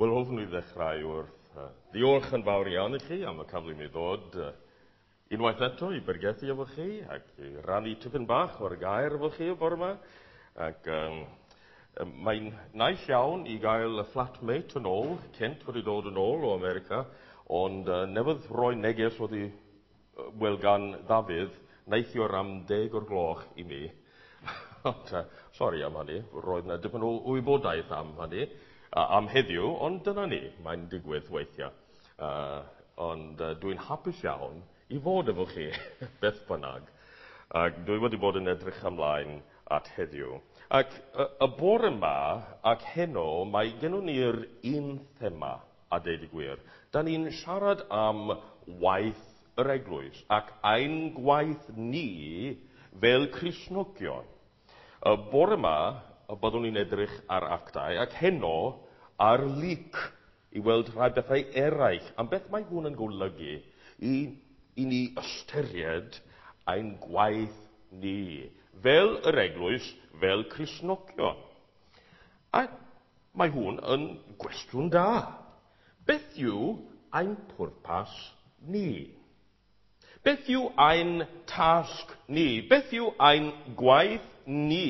Wel, hoffwn i ddechrau wrth ddiolch yn fawr iawn i chi am y cyfle i mi ddod unwaith eto i bergethu efo chi ac i rannu tipyn bach o'r gair efo chi y bore yma. Ac mae'n nais iawn i gael y flatmate yn ôl, Kent wedi dod yn ôl o America, ond newydd roi neges wedi wel gan Ddafydd neithiwr am 10 o'r gloch i mi. Ond, sori am hynny, roedd yna dipyn o wybodaeth am hynny am heddiw, ond dyna ni, mae'n digwydd weithiau. Ond dwi'n hapus iawn i fod efo chi, beth bynnag. Ac dwi wedi bod yn edrych ymlaen at heddiw. Ac y bore yma ac heno, mae gennym ni'r un thema, a deud y gwir. Da ni'n siarad am waith yr eglwys ac ein gwaith ni fel Cristnogion. Y bore yma, byddwn ni'n edrych ar actau ac heno ar Luc i weld rhai bethau eraill. Am beth mae hwn yn golygu i ni ystyried ein gwaith ni, fel yr eglwys, fel Cristnogion. A mae hwn yn gwestiwn da. Beth yw ein pwrpas ni? Beth yw ein tasg ni? Beth yw ein gwaith ni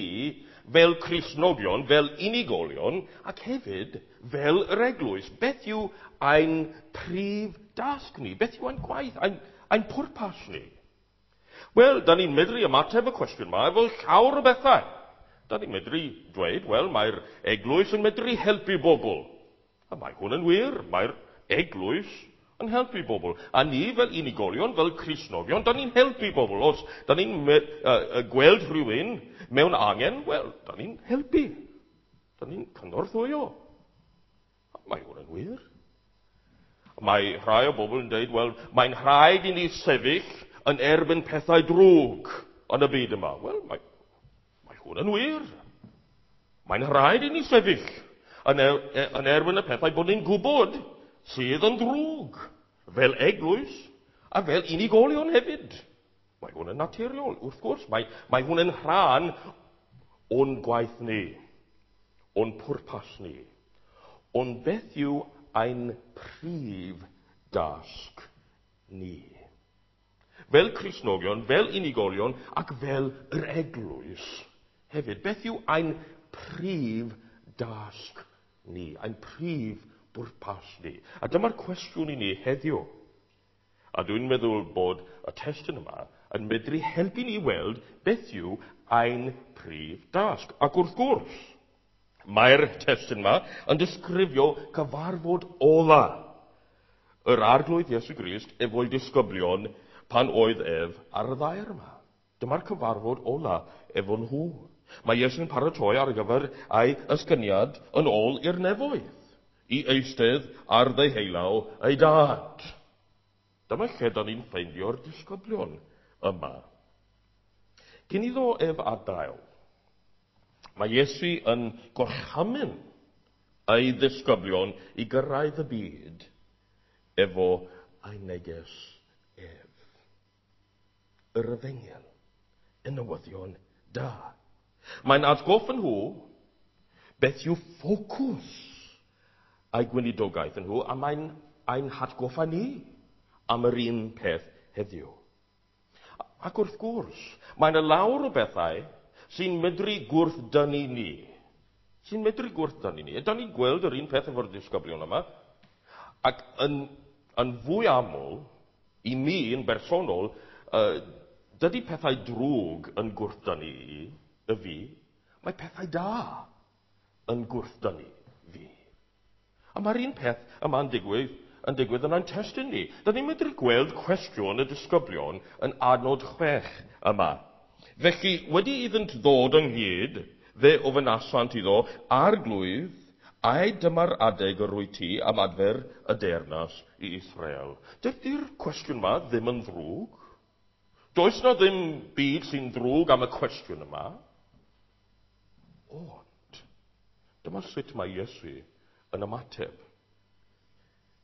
fel Cristnogion, fel unigolion, ac hefyd fel yr eglwys? Beth yw ein prif dasg ni? Beth yw ein gwaith, ein pwrpas ni? Wel, da ni'n medru ymateb y cwestiwn yma efo llawer o bethau. Da ni'n medru dweud, wel, mae'r eglwys yn medru helpu bobl. A mae hwn yn wir, mae'r eglwys yn helpu bobl. A ni fel unigolion, fel Cristnogion, da ni'n helpu bobl. Os da ni'n gweld rhywun mewn angen, wel, da ni'n helpu. Da ni'n cynorthwyo. Mae hwn yn wir. Mae rhai o bobl yn dweud, wel, mae'n rhaid i ni sefyll yn erbyn pethau drwg yn y byd yma. Wel, mae hwn yn wir. Mae'n rhaid i ni sefyll yn erbyn y pethau bod ni'n gwybod sydd yn drwg, fel eglwys a fel unigolion hefyd. Mae hwn yn naturiol, wrth gwrs. Mae hwn yn rhan o'n gwaith ni, o'n pwrpas ni. Ond beth yw ein prif dasg ni? Fel Cristnogion, fel unigolion ac fel yr eglwys hefyd. Beth yw ein prif dasg ni? Ein prif bwrpas ni? A dyma'r cwestiwn i ni heddiw. A dwi'n meddwl bod y testun yma yn medru helpu ni weld beth yw ein prif dasg. Ac wrth gwrs, mae'r testun yma yn disgrifio cyfarfod ola yr Arglwydd Iesu Grist efo'i disgyblion pan oedd ef ar y ddaear yma. Dyma'r cyfarfod ola efo nhw. Mae Iesu'n paratoi ar gyfer ei ysgyniad yn ôl i'r nefoedd, i eistedd ar ddeheulaw ei dad. Dyma lle da ni'n ffeindio'r disgyblion yma. Cyn iddo ef adael, mae Iesu yn gorchymyn ei ddisgyblion i gyrraedd y byd efo ei neges ef. Yr efengyl, y newyddion da. Mae'n atgoffa nhw beth yw ffocws ei gweinidogaeth nhw, a mae'n ein hatgoffa ni am yr un peth heddiw. Ac wrth gwrs, mae'n y lawr o bethau sy'n medru gwrthdynnu ni. Sy'n medru gwrthdynnu ni. Ydan ni'n gweld yr un peth efo'r disgyblion yma. Ac yn fwy aml, i mi yn bersonol, dydy pethau drwg yn gwrthdynnu i, y fi, mae pethau da yn gwrthdynnu fi. A mae'r un peth yma'n digwydd yn ein testun ni. Da ni'n medru gweld cwestiwn y disgyblion yn adnod 6 yma. Felly, wedi iddynt ddod ynghyd, fe ofynasant iddo, Arglwydd, ai dyma'r adeg yr wyt ti am adfer y deyrnas i Israel? Dydy'r cwestiwn yma ddim yn ddrwg. Does na ddim byd sy'n ddrwg am y cwestiwn yma. Ond, dyma sut mae Iesu yn ymateb.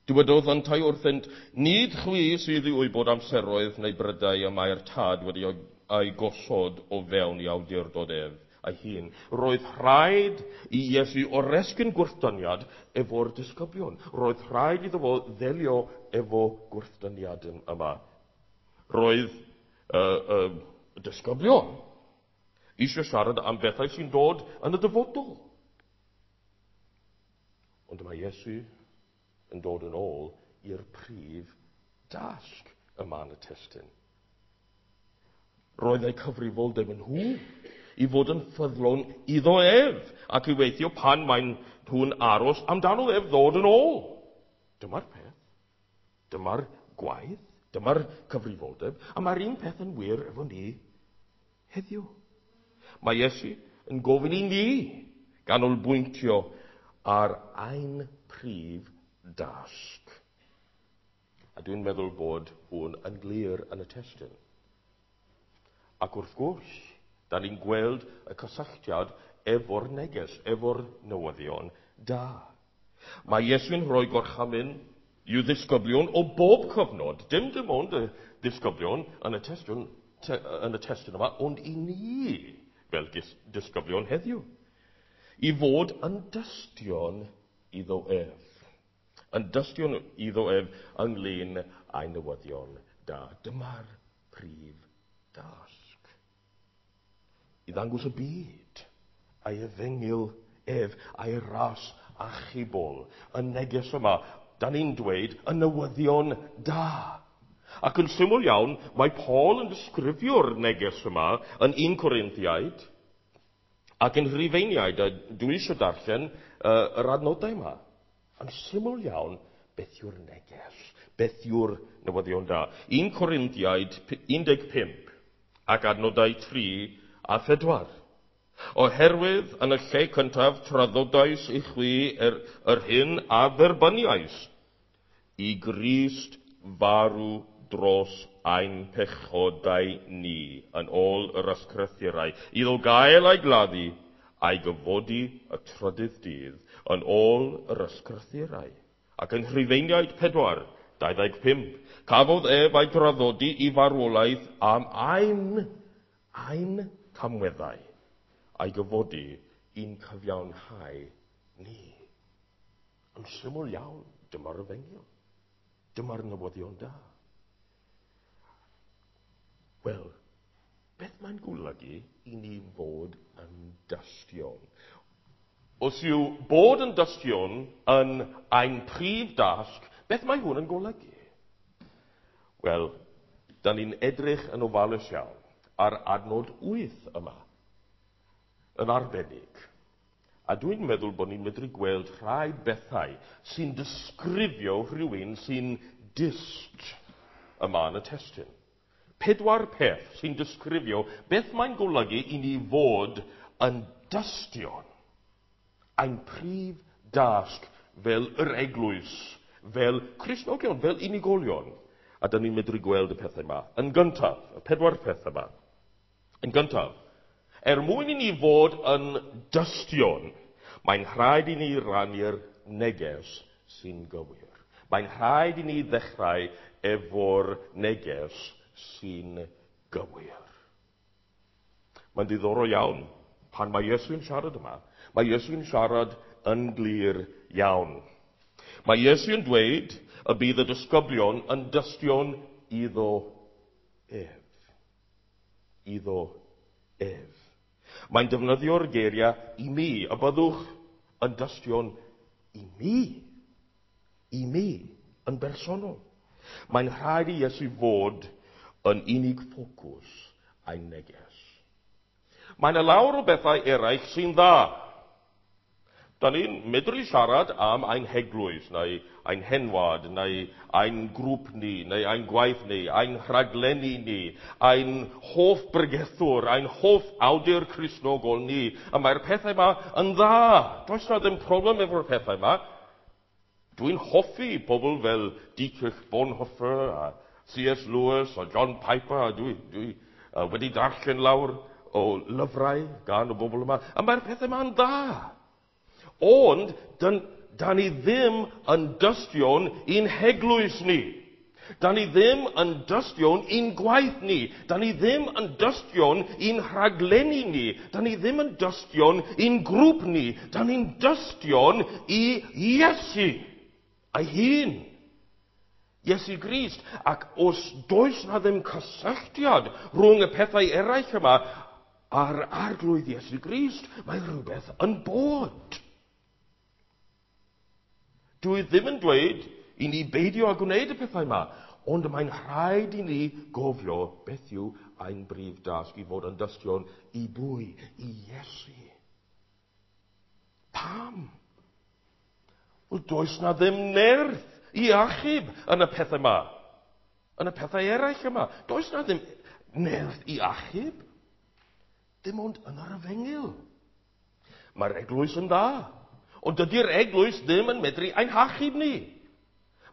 Dywedodd yntau wrthynt, nid chwi sydd i wybod amseroedd neu brydau y mae'r tad wedi ei gosod o fewn i awdurdod ef. ei hun. Roedd rhaid i Iesu oresgyn gwrthdyniad efo'r disgyblion. Roedd rhaid iddo fo ddelio efo gwrthdyniad yma. Roedd y disgyblion eisiau siarad am bethau sy'n dod yn y dyfodol. Ond mae Iesu yn dod yn ôl i'r prif dasg yma yn y testun. Roedd eu cyfrifoldeb yn nhw i fod yn ffyddlon iddo ef ac i weithio pan maen nhw'n aros amdano ef ddod yn ôl. Dyma'r peth. Dyma'r gwaith. Dyma'r cyfrifoldeb. A mae'r un peth yn wir efo ni heddiw. Mae Iesu yn gofyn i ni ganolbwyntio ar ein prif dasg. A dwi'n meddwl bod hwn yn glir yn y testun. Ac wrth gwrs, da ni'n gweld y cysylltiad efo'r neges, efo'r newyddion da. Mae Iesu'n rhoi gorchymyn i'w ddisgyblion o bob cyfnod, dim ond y disgyblion yn y testun yma, ond i ni fel disgyblion heddiw, i fod yn dystion iddo ef. Yn dystion iddo ef ynglyn â'i newyddion da. Dyma'r prif dasg. I ddangos y byd a'i efengyl ef a'i ras achubol. Y neges yma, da ni'n dweud, y newyddion da. Ac yn syml iawn, mae Paul yn disgrifio'r neges yma yn 1 Corinthiaid ac yn Rhufeiniaid, a dwi eisiau darllen yr adnodau yma. Yn syml iawn, beth yw'r neges? Beth yw'r newyddion da? 1 Corinthiaid 15 ac adnodau 3 a 4. Oherwydd yn y lle cyntaf traddodais i chwi yr hyn a dderbyniais, i Grist farw dros ein pechodau ni, yn ôl yr ysgrythurau, iddo gael ei gladdu a'i gyfodi y trydydd dydd, yn ôl yr ysgrythurau. Ac yn Rhufeiniaid 4, 25, cafodd ef ei draddodi i farwolaeth am ein camweddau, a'i gyfodi i'n cyfiawnhau ni. Yn syml iawn, dyma'r efengyl. Dyma'r newyddion da. Wel, beth mae'n golygu i ni fod yn dystion? Os yw bod yn dystion yn ein prif dasg, beth mae hwn yn golygu? Wel, da ni'n edrych yn ofalus iawn ar adnod 8 yma, yn arbennig. A dwi'n meddwl bod ni'n medru gweld rhai bethau sy'n disgrifio rhywun sy'n dyst yma yn y testun. 4 peth sy'n disgrifio beth mae'n golygu i ni fod yn dystion. Ein prif dasg fel yr eglwys, fel Cristnogion, fel unigolion. A dyn ni'n medru gweld y pethau yma. Yn gyntaf, y 4 peth yma. Yn gyntaf, er mwyn i ni fod yn dystion, mae'n rhaid i ni rannu'r neges sy'n gywir. Mae'n rhaid i ni ddechrau efo'r neges sy'n gywir. Mae'n ddiddorol iawn pan mae Iesu'n siarad yma. Mae Iesu'n siarad yn glir iawn. Mae Iesu'n dweud y bydd y disgyblion yn dystion iddo ef. Iddo ef. Mae'n defnyddio'r geiriau i mi, y byddwch yn dystion i mi. I mi, yn bersonol. Mae'n rhaid i Iesu fod yn unig ffocws a'i neges. Mae yna lawer o bethau eraill sy'n dda. Da ni'n medru siarad am ein heglwys, neu ein henwad, neu ein grŵp ni, neu ein gwaith ni, ein rhaglenni ni, ein hoff bregethwr, ein hoff awdur Cristnogol ni. A mae'r pethau yma yn dda. Does na ddim problem efo'r pethau yma. Dwi'n hoffi pobl fel Dietrich Bonhoeffer a C.S. Lewis a John Piper. A dwi wedi darllen lawr o lyfrau gan y bobl yma. A mae'r pethau yma yn dda. Ond, da ni ddim yn dystion i'n heglwys ni. Da ni ddim yn dystion i'n gwaith ni. Da ni ddim yn dystion i'n rhaglenni ni. Da ni ddim yn dystion i'n grŵp ni. Da ni'n dystion i Iesu ei hun. Iesu Grist. Ac os does na ddim cysylltiad rhwng y pethau eraill yma a'r Arglwydd Iesu Grist, mae rhywbeth yn bod. Dwi ddim yn dweud i ni beidio â gwneud y pethau yma, ond mae'n rhaid i ni gofio beth yw ein brif dasg i fod yn dystion i bwy? I Iesu. Pam? Wel, does na ddim nerth i achub yn y pethau yma. Yn y pethau eraill yma. Does na ddim nerth i achub. Dim ond yn yr efengyl. Mae'r eglwys yn dda. Ond dydy'r eglwys ddim yn medru ein hachub ni.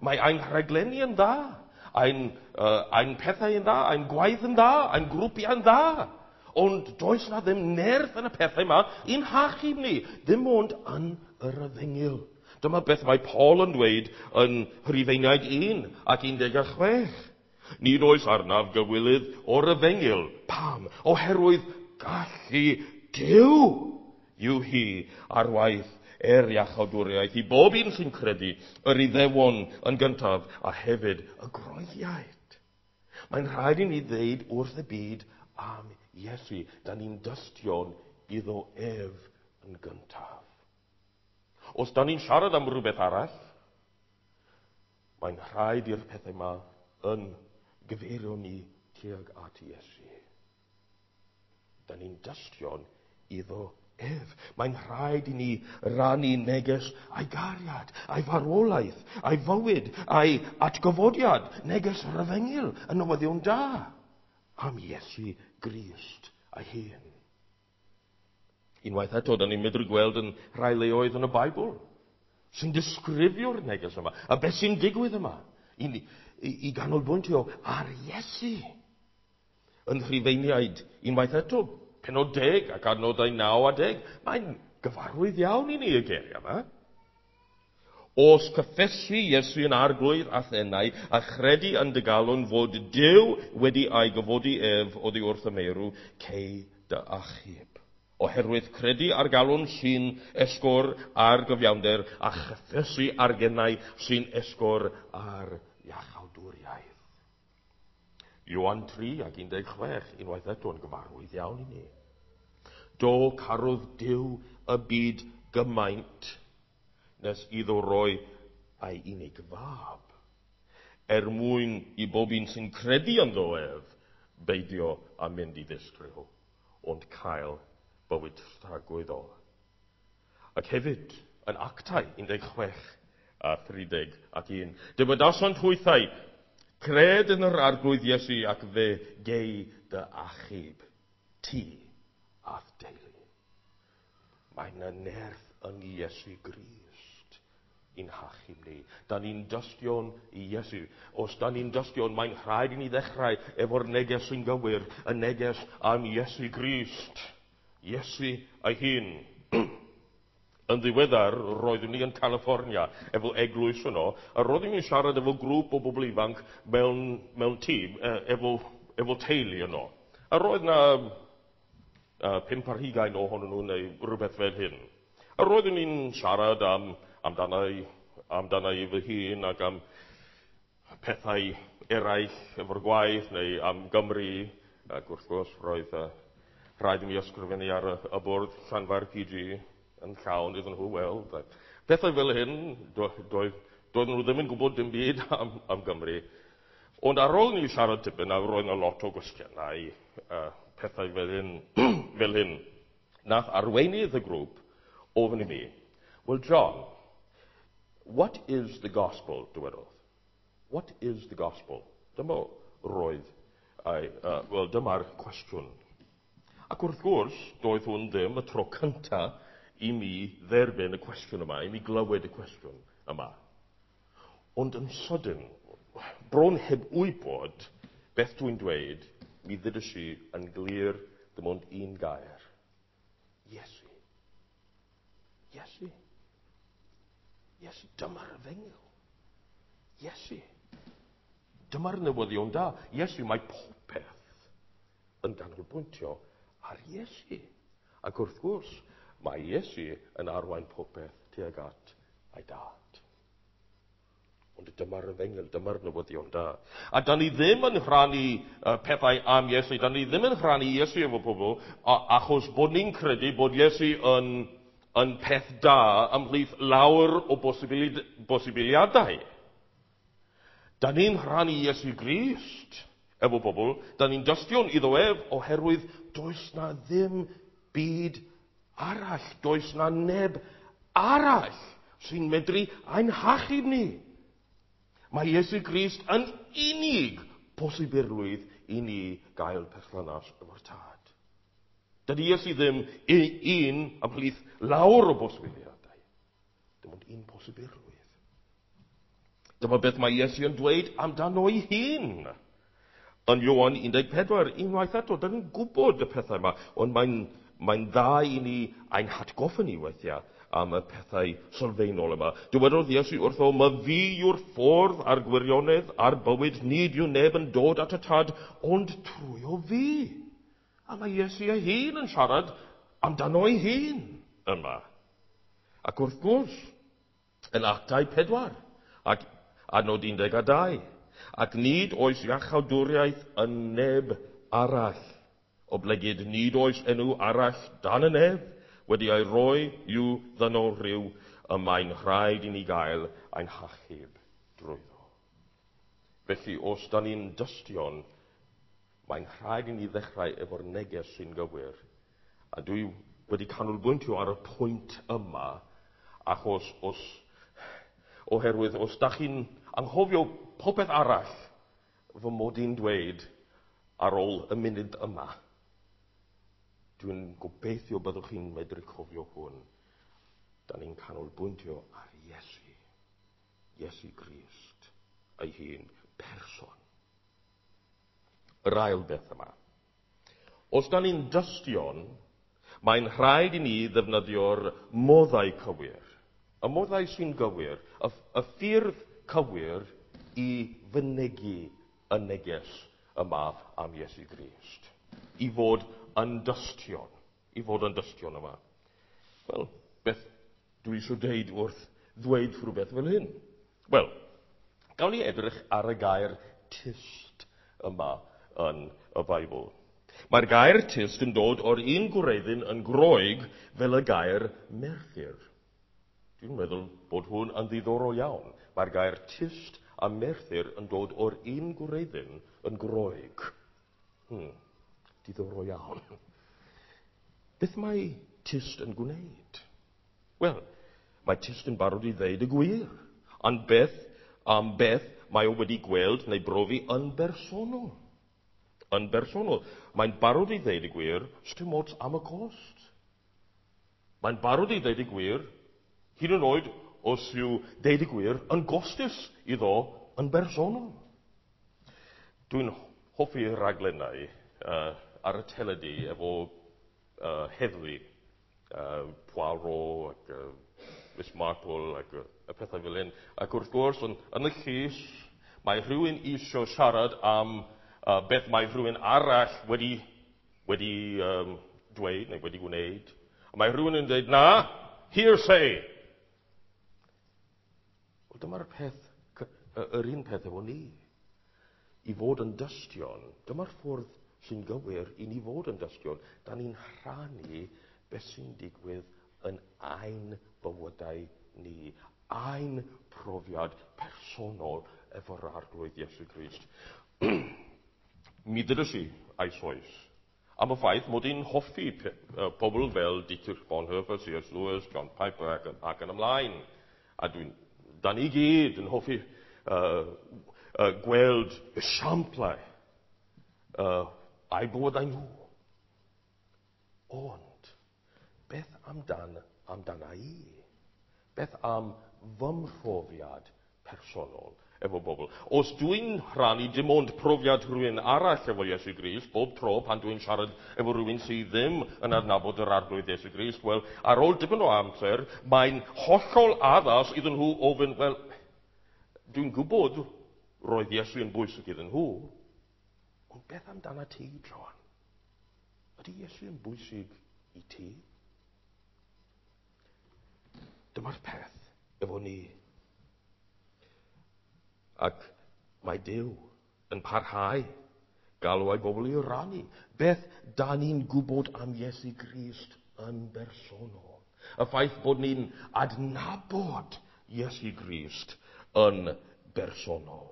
Mae ein rhaglenni yn dda. Ein pethau yn dda, ein gwaith yn dda, ein grwpiau yn dda. Ond does na ddim nerth yn y pethau yma i'n hachub ni. Dim ond yn yr efengyl. Dyma beth mae Paul yn dweud yn Rhufeiniaid 1 ac 16. Nid oes arnaf gywilydd o'r efengyl. Pam? Oherwydd gallu Duw yw hi ar waith er iachawdwriaeth i bob un sy'n credu, yr Iddewon yn gyntaf a hefyd y Groegiaid. Mae'n rhaid i ni ddeud wrth y byd am Iesu. Da ni'n dystion iddo ef yn gyntaf. Os da ni'n siarad am rhywbeth arall, mae'n rhaid i'r pethau yma yn gyfeirio ni tuag at Iesu. Da ni'n dystion iddo ef. Mae'n rhaid i ni rannu neges a'i gariad, a'i farwolaeth, a'i fywyd, a'i atgyfodiad, neges yr efengyl, y newyddion da am Iesu Grist ei hun. Unwaith eto, da ni'n medru gweld yn rhai leoedd yn y Beibl sy'n disgrifio'r neges yma, a beth sy'n digwydd yma, i ganolbwyntio ar Iesu. Yn Rhufeiniaid, unwaith eto, pennod 10 ac adnodau 9 a 10, mae'n gyfarwydd iawn i ni y geiriau yma. Os cyffesu Iesu yn Arglwydd a'th enau a chredu yn dy galon fod Duw wedi ei gyfodi ef oddi wrth y meirw, cei dy achub. Oherwydd credu ar galon sy'n esgor ar gyfiawnder a chyffesu ar genau sy'n esgor ar iachawdwriaeth. Ioan 3 ac 16, unwaith eto yn gyfarwydd iawn i ni. Do carodd Duw y byd gymaint nes iddo roi ei unig fab, er mwyn i bob un sy'n credu ynddo ef beidio â mynd i ddistryw, ond cael bywyd tragwyddol. Ac hefyd, yn Actau 16 a 31, dywedasant hwythau, cred yn yr Arglwydd Iesu ac fe gei dy achub, ti a'th deulu. Mae yna nerth yn Iesu Grist i'n hachub ni. Da ni'n dystion i Iesu. Os da ni'n dystion, mae'n rhaid i ni ddechrau efo'r neges sy'n gywir, y neges am Iesu Grist. Iesu ei hun. Yn ddiweddar, roeddwn ni yn California efo eglwys yno, a roeddwn ni'n siarad efo grŵp o bobl ifanc mewn tîm, efo teulu yno. A roedd na 25 ohonyn nhw neu rhywbeth fel hyn. A roeddwn ni'n siarad amdana i fy hun ac am pethau eraill efo'r gwaith neu am Gymru, ac wrth gwrs roedd rhaid i mi ysgrifennu ar y bwrdd Llanfair PG yn llawn iddyn nhw weld. Pethau fel hyn, doedden nhw ddim yn gwybod dim byd am Gymru. Ond ar ôl ni siarad tipyn, a roedd yna lot o gwestiynau, pethau fel hyn, fel hyn, nath arweinydd y grŵp ofyn i mi, well, John, what is the gospel, dywedodd? What is the gospel? Dyma roedd, wel, dyma'r cwestiwn. Ac wrth gwrs, doedd hwn ddim y tro cyntaf i mi dderbyn y cwestiwn yma, i mi glywed y cwestiwn yma. Ond yn sydyn, bron heb wybod beth dwi'n dweud, mi ddudais i yn glir dim ond un gair. Iesu. Iesu. Iesu, dyma'r efengyl. Iesu. Dyma'r newyddion da. Iesu, mae popeth yn ganolbwyntio ar Iesu. Ac wrth gwrs, mae Iesu yn arwain popeth tuag at ei dad. Ond dyma'r efengyl, dyma'r newyddion da. A da ni ddim yn rhannu pethau am Iesu, da ni ddim yn rhannu Iesu efo pobl, achos bod ni'n credu bod Iesu yn peth da ymhlith lawer o bosibiliadau. Da ni'n rhannu Iesu Grist efo pobl, da ni'n dystion iddo ef oherwydd does na ddim byd arall, does na neb arall sy'n medru ein hachub ni. Mae Iesu Grist yn unig posibilrwydd i ni gael perthynas efo'r Tad. Dydy Iesu ddim un ymhlith lawer o bosibiliadau. Dim ond un posibilrwydd. Dyma beth mae Iesu yn dweud amdano ei hun. Yn Ioan 14, unwaith eto, da ni'n gwybod y pethau yma, ond mae'n dda i ni ein hatgoffa ni weithiau am y pethau sylfaenol yma. Dywedodd Iesu wrtho, "Ma fi yw'r ffordd a'r gwirionedd a'r bywyd, nid yw neb yn dod at y Tad, ond trwy o fi." A mae Iesu ei hun yn siarad amdano ei hun yma. Ac wrth gwrs, yn Actau 4, ac adnod 12, ac nid oes iachawdwriaeth yn neb arall, oblegid nid oes enw arall dan y nef wedi ei roi i'w ddynol rhyw, y mae'n rhaid i ni gael ein hachub drwyddo. Felly, os da ni'n dystion, mae'n rhaid i ni ddechrau efo'r neges sy'n gywir. A dwi wedi canolbwyntio ar y pwynt yma, achos oherwydd os da chi'n anghofio popeth arall fy mod i'n dweud ar ôl y munud yma, dwi'n gobeithio byddwch chi'n medru cofio hwn. Da ni'n canolbwyntio ar Iesu. Iesu Grist ei hun, person. Yr ail beth yma. Os da ni'n dystion, mae'n rhaid i ni ddefnyddio'r moddau cywir. Y moddau sy'n gywir, y ffyrdd cywir i fynegi y neges yma am Iesu Grist. I fod yn dystion. I fod yn dystion yma. Wel, beth dwi eisiau deud wrth ddweud rhywbeth fel hyn? Wel, gawn ni edrych ar y gair tyst yma yn y Beibl. Mae'r gair tyst yn dod o'r un gwreiddyn yn Groeg fel y gair merthyr. Dwi'n meddwl bod hwn yn ddiddorol iawn. Mae'r gair tyst a merthyr yn dod o'r un gwreiddyn yn Groeg. Diddorol iawn. Beth mae tyst yn gwneud? Wel, mae tyst yn barod i ddeud y gwir. Ond beth am beth mae o wedi gweld neu brofi yn bersonol. Yn bersonol. Mae'n barod i ddeud y gwir, sdim ots am y cost. Mae'n barod i ddeud y gwir, hyd yn oed os yw deud y gwir yn gostus iddo yn bersonol. Dwi'n hoffi rhaglennau ar y teledu efo heddlu, Poirot ac Miss Marple ac y pethau fel hyn. Ac wrth gwrs, yn y llys, mae rhywun eisiau siarad am beth mae rhywun arall wedi dweud neu wedi gwneud. A mae rhywun yn dweud, na, hearsay. Wel, dyma'r peth, yr un peth efo ni. I fod yn dystion, dyma'r ffordd sy'n gywir i ni fod yn dystion. Da ni'n rhannu beth sy'n digwydd yn ein bywydau ni, ein profiad personol efo'r Arglwydd Iesu Grist. Mi ddydys i eisoes am y ffaith mod i'n hoffi pobl fel Dietrich Bonhoeffer, C.S. Lewis, John Piper ac yn ymlaen. A da ni gyd yn hoffi gweld esiamplau a'u bywydau nhw. Ond, beth amdana i? Beth am fy mhrofiad personol efo bobl? Os dwi'n rhannu dim ond profiad rhywun arall efo Iesu Grist, bob tro pan dwi'n siarad efo rhywun sydd ddim yn adnabod yr Arglwydd Iesu Grist, wel, ar ôl dipyn o amser, mae'n hollol addas iddyn nhw ofyn, wel, dwi'n gwybod roedd Iesu yn bwysig iddyn nhw. Ond beth amdana ti, Joan? Ydy Iesu yn bwysig i ti? Dyma'r peth efo ni. Ac mae Duw yn parhau galw ei bobl i rannu. Beth da ni'n gwybod am Iesu Grist yn bersonol? Y ffaith bod ni'n adnabod Iesu Grist yn bersonol.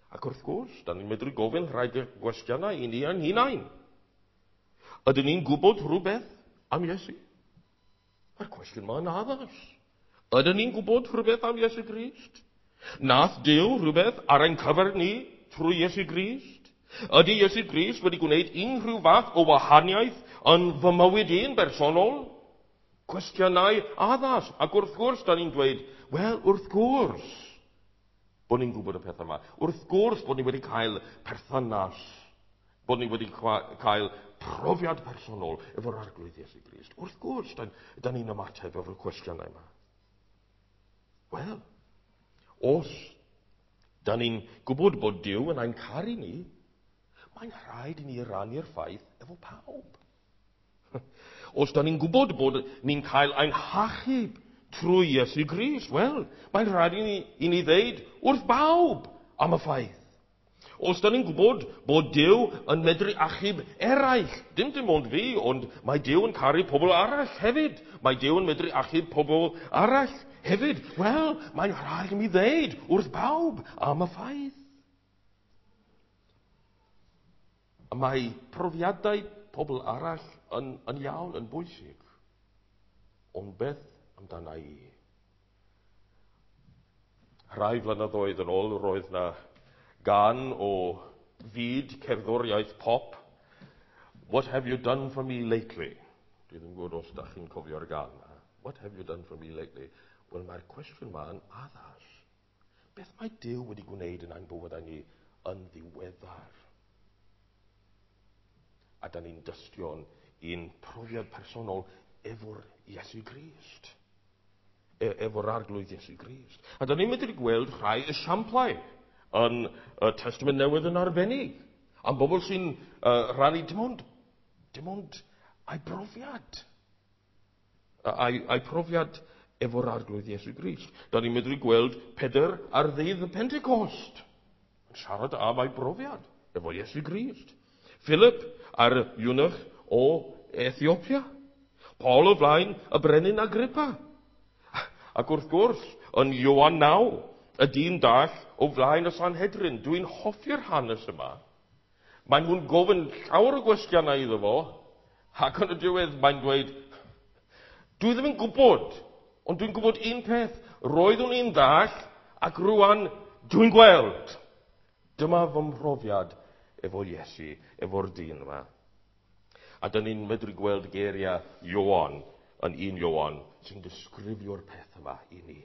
Ac wrth gwrs, da ni'n medru gofyn rhai gwestiynau i ni ein hunain. Ydyn ni'n gwybod rhywbeth am Iesu? Mae'r cwestiwn yma'n addas. Ydyn ni'n gwybod rhywbeth am Iesu Grist? Nath Duw rhywbeth ar ein cyfer ni trwy Iesu Grist? Ydy Iesu Grist wedi gwneud unrhyw fath o wahaniaeth yn fy mywyd i'n bersonol? Cwestiynau addas. Ac wrth gwrs, da ni'n dweud, wel, wrth gwrs, bod ni'n gwybod y pethau yma. Wrth gwrs bod ni wedi cael perthynas, bod ni wedi cael profiad personol efo'r Arglwydd Iesu Grist. Wrth gwrs, da, da ni'n ymateb efo'r cwestiynau yma. Wel, os da ni'n gwybod bod Duw yn ein caru ni, mae'n rhaid i ni rannu'r ffaith efo pawb. Os da ni'n gwybod bod ni'n cael ein hachub trwy Iesu Grist, wel, mae'n rhaid i ni ddeud wrth bawb am y ffaith. Os da ni'n gwybod bod Duw yn medru achub eraill, dim ond fi, ond mae Duw yn caru pobl arall hefyd. Mae Duw yn medru achub pobl arall hefyd. Wel, mae'n rhaid i mi ddeud wrth bawb am y ffaith. Mae profiadau pobl arall yn iawn, yn bwysig. Ond beth amdana i? Rhai flynyddoedd yn ôl roedd na gan o fyd cerddoriaeth pop, What have you done for me lately? Dwi ddim yn gwybod os da chi'n cofio'r gan. What have you done for me lately? Wel, mae'r cwestiwn yma yn addas. Beth mae Duw wedi gwneud yn ein bywydau ni yn ddiweddar? A da ni'n dystion i'n profiad personol efo'r Iesu Grist. Efo'r Arglwydd Iesu Grist. A da ni'n medru gweld rhai esiamplau yn y Testament Newydd yn arbennig. Am bobl sy'n rhannu dim ond ei brofiad. Ei profiad efo'r Arglwydd Iesu Grist. Da ni'n medru gweld Pedr ar ddydd y Pentecost yn siarad am ei brofiad efo Iesu Grist. Philip ar eunuch o Ethiopia. Paul o flaen y brenin Agrippa. Ac wrth gwrs, yn Ioan 9, y dyn dall o flaen y Sanhedrin. Dwi'n hoffi'r hanes yma. Mae nhw'n gofyn llawer o gwestiynau iddo fo, ac yn y diwedd mae'n dweud, dwi ddim yn gwybod, ond dwi'n gwybod un peth. Roeddwn i'n ddall, ac rwan dwi'n gweld. Dyma fy mhrofiad efo Iesu, efo'r dyn yma. A dyn ni'n medru gweld geiriau Ioan, yn 1 Ioan, sy'n disgrifio'r peth yma i ni.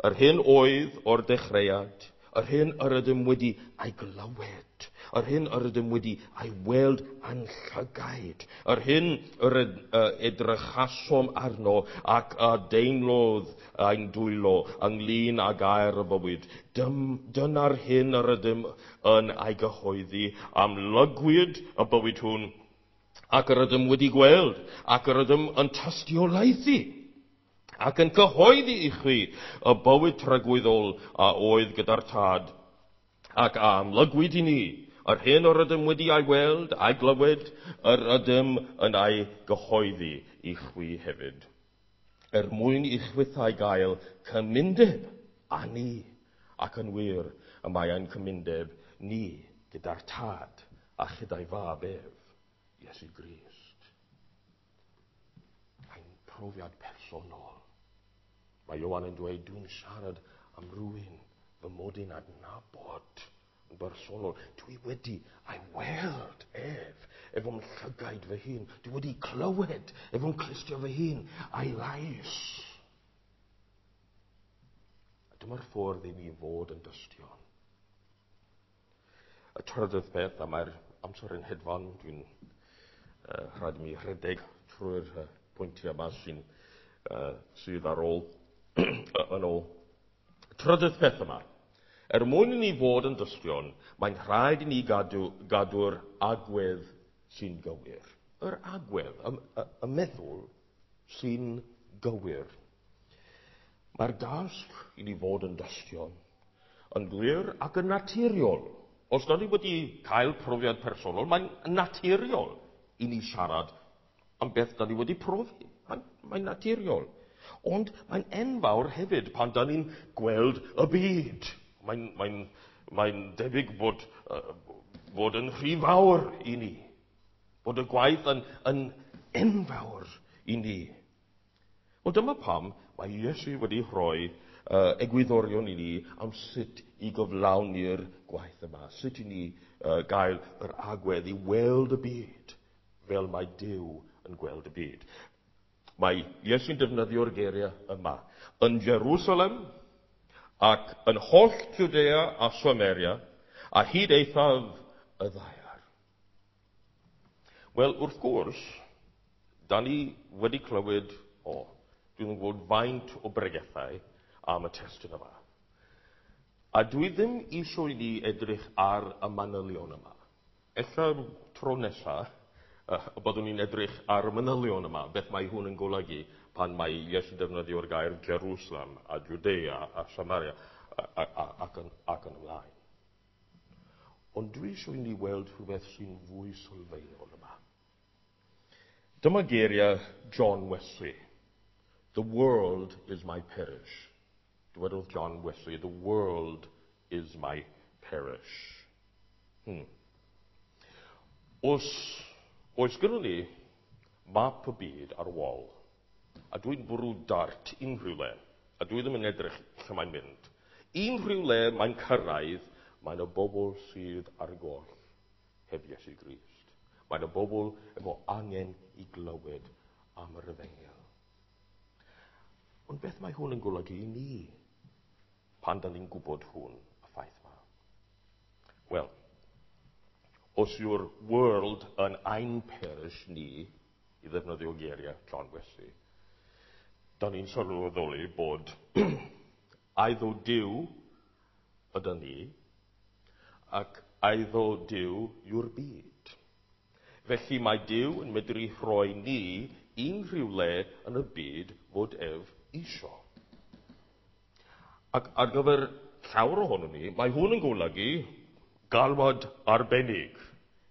Yr hyn oedd o'r dechreuad, yr hyn yr ydym wedi ei glywed, yr hyn yr ydym wedi ei weld a'n llygaid, yr hyn yr edrychasom arno ac a deimlodd ein dwylo ynglyn â gair y bywyd. Dyna'r hyn yr ydym yn ei gyhoeddi, amlygwyd y bywyd hwn, ac yr ydym wedi gweld, ac yr ydym yn tystiolaethu, ac yn cyhoeddi i chwi y bywyd tragwyddol a oedd gyda'r Tad, ac a amlygwyd i ni, yr hyn yr ydym wedi ei weld, a'i glywed, yr ydym yn ei gyhoeddi i chwi hefyd. Er mwyn i chwithau gael cymundeb â ni, ac yn wir, y mae ein cymundeb ni gyda'r Tad a chyda'i fab ef, Iesu Grist. Ein profiad personol. Mae Ioan yn dweud, dwi'n siarad am rywun fy mod i'n adnabod yn bersonol. Dwi wedi ei weld ef efo'm llygaid fy hun. Dwi wedi clywed efo'm clustiau fy hun a'i lais. A dyma'r ffordd i ni fod yn dystion. Y trydydd peth, a mae'r amser yn hedfan, dwi'n rhaid i mi rhedeg trwy'r pwyntiau yma sydd ar ôl yn ôl. Trydydd peth yma. Er mwyn i ni fod yn dystion, mae'n rhaid i ni gadw'r agwedd sy'n gywir. Yr agwedd, y meddwl sy'n gywir. Mae'r dasg i ni fod yn dystion yn glir ac yn naturiol. Os da ni wedi cael profiad personol, mae'n naturiol i ni siarad am beth da ni wedi profi. Mae'n naturiol. Ond mae'n enfawr hefyd pan da ni'n gweld y byd. Mae'n debyg bod yn rhy fawr i ni. Bod y gwaith yn enfawr i ni. Wel, dyma pam mae Iesu wedi rhoi egwyddorion i ni am sut i gyflawni'r gwaith yma. Sut i ni gael yr agwedd i weld y byd fel mae Duw yn gweld y byd. Mae Iesu'n defnyddio'r geiriau yma. Yn Jerusalem ac yn holl Judea a Samaria a hyd eithaf y ddaear. Wel, wrth gwrs, da ni wedi clywed, dwi'n gwybod faint o bregethau am y testun yma. A dwi ddim eisiau i ni edrych ar y manylion yma. Ella tro nesaf, byddwn ni'n edrych ar y manylion yma, beth mae hwn yn golygu pan mae Iesu'n defnyddio'r gair Jerusalem a Judea a Samaria ac yn ymlaen. Ond dwi eisiau i ni weld rhywbeth sy'n fwy sylfaenol yma. Dyma geiriau John Wesley. The world is my parish. Dywedodd John Wesley, the world is my parish. Os oes gynnon ni map y byd ar wal, a dwi'n bwrw dart unrhyw le, a dwi ddim yn edrych lle mae'n mynd. Unrhyw le mae'n cyrraedd, mae'n y bobl sydd ar goll heb Iesu Grist. Mae'n y bobl efo angen i glywed am yr efengyl. Ond beth mae hwn yn golygu i ni pan da ni'n gwybod hwn, y ffaith yma? Wel, os yw'r world yn ein parish ni, i ddefnyddio geiriau John Wesley, da ni'n sylweddoli bod eiddo Duw ydy ni, ac eiddo Duw yw'r byd. Felly mae Duw yn medru rhoi ni unrhyw le yn y byd fod ef isio. Ac ar gyfer llawer ohonon ni, mae hwn yn golygu galwad arbennig.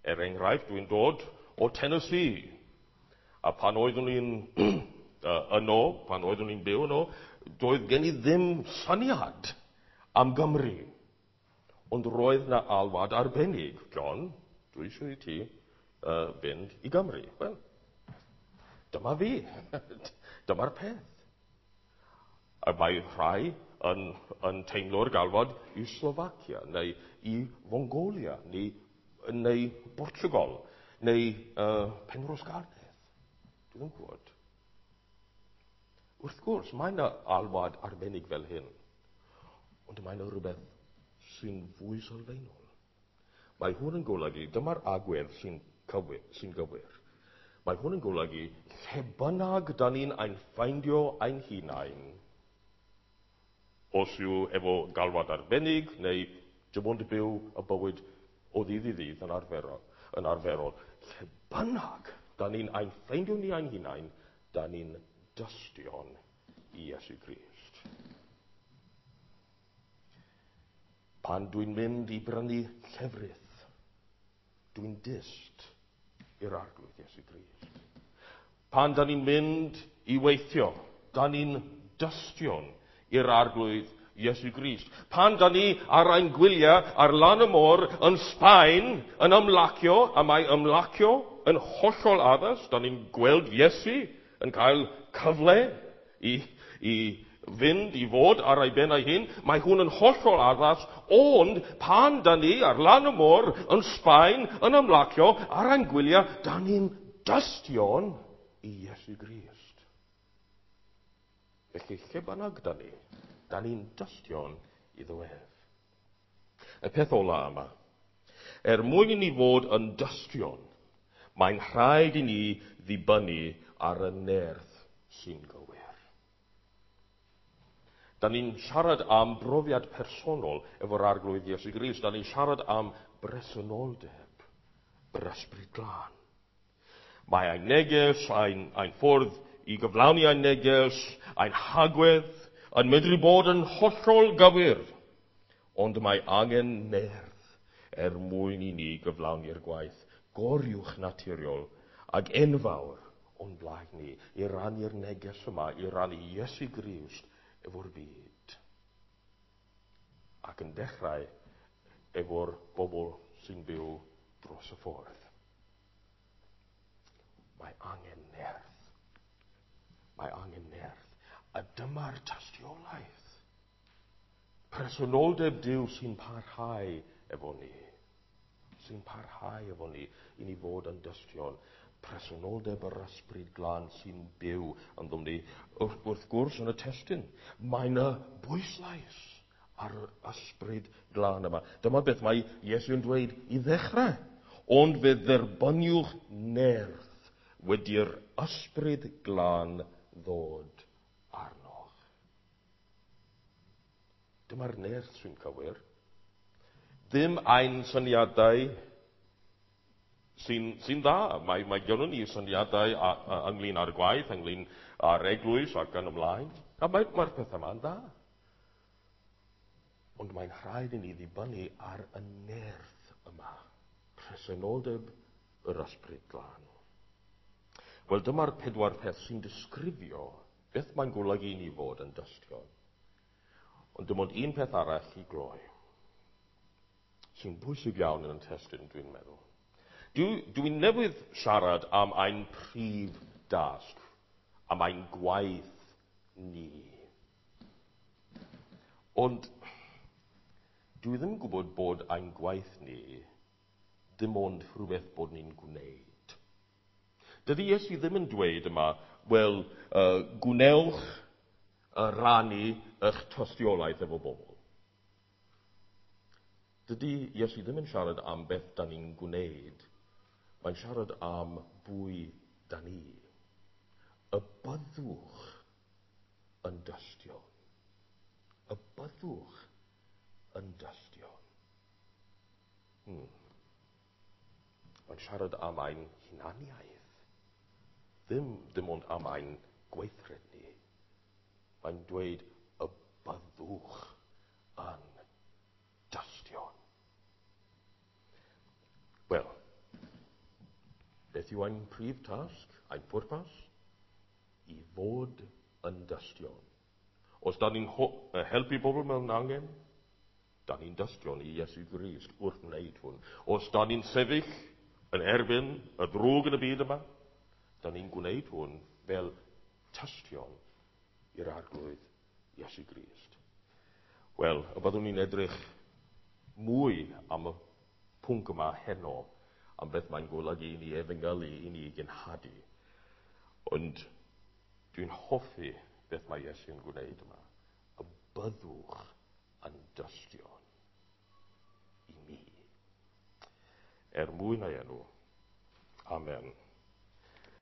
Er enghraifft, dwi'n dod o Tennessee. A pan oeddwn i'n yno, pan oeddwn i'n byw yno, doedd gen i ddim syniad am Gymru. Ond roedd na alwad arbennig. John, dwi eisiau i ti fynd i Gymru. Wel, dyma fi. Dyma'r peth. A mae rhai yn teimlo'r galwad i Slovacia, neu i Mongolia, neu Portugal, neu Penrhos Garnedd. Dwi ddim yn gwybod. Wrth gwrs, mae yna alwad arbennig fel hyn, ond mae yna rhywbeth sy'n fwy sylfaenol. Mae hwn yn golygu, dyma'r agwedd sy'n gywir. Mae hwn yn golygu, lle bynnag da ni'n ein ffeindio ein hunain, os yw efo galwad arbennig, neu dim ond byw y bywyd o ddydd i ddydd yn arferol, lle bynnag da ni'n ein ffeindio ni ein hunain, da ni'n dystion i Iesu Grist. Pan dwi'n mynd i brynu llefrith, dwi'n dyst i'r Arglwydd Iesu Grist. Pan da ni'n mynd i weithio, da ni'n dystion i'r Arglwydd Iesu Grist. Pan da ni ar ein gwyliau ar lan y môr yn Sbaen yn ymlacio, a mae ymlacio yn hollol addas, da ni'n gweld Iesu yn cael cyfle i fynd i fod ar ei ben ei hun, mae hwn yn hollol addas, ond pan da ni ar lan y môr yn Sbaen yn ymlacio ar ein gwyliau, da ni'n dystion i Iesu Grist. Felly, lle bynnag da ni'n dystion iddo ef. Y peth ola yma, er mwyn i ni fod yn dystion, mae'n rhaid i ni ddibynnu ar y nerth sy'n gywir. Da ni'n siarad am brofiad personol efo'r Arglwydd Iesu Grist. Da ni'n siarad am bresenoldeb yr Ysbryd Glân. Mae ein neges, ein ffordd i gyflawni ein neges, ein hagwedd, yn medru bod yn hollol gywir. Ond mae angen nerth er mwyn i ni gyflawni'r gwaith goruwch naturiol ag enfawr o'n blaen ni i rannu'r neges yma, i rannu Iesu Grist efo'r byd. Ac yn dechrau efo'r bobl sy'n byw dros y ffordd. Mae angen nerth. Mae angen nerth. A dyma'r tystiolaeth. Presenoldeb Duw sy'n parhau efo ni. Sy'n parhau efo ni i ni fod yn dystion. Presenoldeb yr Ysbryd Glân sy'n byw ynddo ni. Wrth gwrs, yn y testun, mae yna bwyslais ar yr Ysbryd Glân yma. Dyma beth mae Iesu'n dweud i ddechrau. Ond fe dderbyniwch nerth wedi'r Ysbryd Glân ddod arnoch. Dyma'r nerth sy'n cywir. Ddim ein syniadau sy'n dda. Mae gynnon ni syniadau ynglyn â'r gwaith, ynglyn â'r eglwys ac yn ymlaen. A mae'r pethau yma'n dda. Ond mae'n rhaid i ni ddibynnu ar y nerth yma. Presenoldeb yr Ysbryd Glân. Wel, dyma'r pedwar peth sy'n disgrifio beth mae'n golygu i ni fod yn dystion. Ond dim ond un peth arall i gloi, sy'n bwysig iawn yn y testun, dwi'n meddwl. Dwi'n newydd siarad am ein prif dasg, am ein gwaith ni. Ond dwi ddim yn gwybod bod ein gwaith ni dim ond rhywbeth bod ni'n gwneud. Dydy Iesu ddim yn dweud yma, wel, gwnewch rannu eich tystiolaeth efo bobl. Dydy Iesu ddim yn siarad am beth da ni'n gwneud. Mae'n siarad am bwy da ni. Y byddwch yn dystion. Y byddwch yn dystion. Mae'n siarad am ein hunaniaeth. Ddim ond am ein gweithred ni. Mae'n dweud y byddwch yn dystion. Wel, beth yw ein prif tasg, ein pwrpas? I fod yn dystion. Os da ni'n helpu bobl mewn angen, da ni'n dystion i Iesu Grist wrth wneud hwn. Os da ni'n sefyll yn erbyn y ddrwg yn y byd yma, da ni'n gwneud hwn fel tystion i'r Arglwydd Iesu Grist. Wel, y byddwn ni'n edrych mwy am y pwnc yma heno, am beth mae'n golygu i ni efengylu, i ni genhadu. Ond dwi'n hoffi beth mae Iesu'n gwneud yma. Y byddwch yn dystion i mi. Er mwyn ei enw. Amen.